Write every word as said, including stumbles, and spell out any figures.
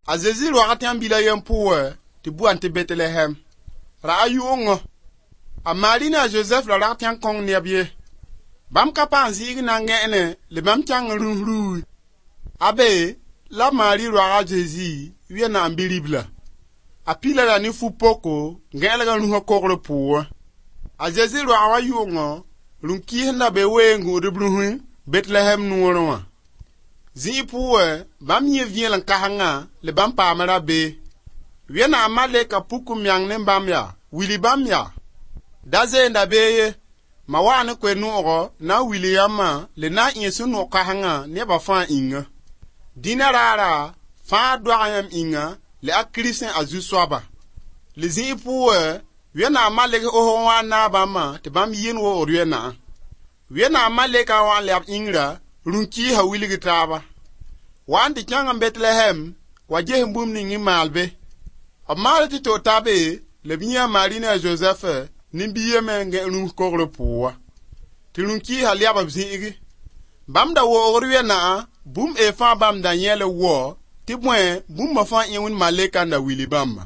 A Zezi roaga tẽn-bila yen pʋgẽ tɩ bʋ tɩ Betlehem. Ra a yʋ'ʋngõ. A Mari ne a Zozɛf ra rag tẽn-kõng neb ye. Bãmb ka paam zɩɩg n na n gẽene la bãmb kẽng n rũs ruui. Abe la Mari roag a Zezi wẽnnaam bi-ribla. A pila ra ne fu-poko gẽelg n rũsã kogr pʋgẽ. A Zezi roag wã yʋ'ʋngõ, rũm-kiis n da be weẽ n gũud b rũsẽ Betlehem noorẽ wã. Zĩig pʋgẽ, bãmb yãee vẽelem-kãsengã la bãmb paama rabeem. Wẽnnaam malɛka puk n meng ne bãmb yaa, wilg bãmb yaa: Da zoe-y rabeem ye, ma waa ne koe-noogɔ na n wilg yãmbã la na n ɩ sũ-noog kãsengã nebã fãa yĩnga. Dĩnã raara, fãagr doaga yãmb yĩnga la a Kirist a Zu-soaba. La zĩig pʋgẽ, Wẽnnaam malɛk osg n wa n naag bãmbã tɩ bãmb yɩ n woogd wẽnnaam. Wẽnnaam malɛkã wa n lɛb yĩngra, rũm-kiisã wilgd taaba. Wa n tɩ kẽng n Betlehem wa ges bũmb ning n maal be. B maal tɩ to ta be la b yãee a Mari ne a Zozɛf ne biigã me n gãe rũms kogr pʋgẽ wã. Tɩ rũm-kiisã lɛb b zĩ'igi. Bãmb da woogd wẽnnaam bũmb fãa bãmb da yẽ la wao tɩ bõe bũmba fãa ɩ wẽnd malɛka n da wilg bãmbã.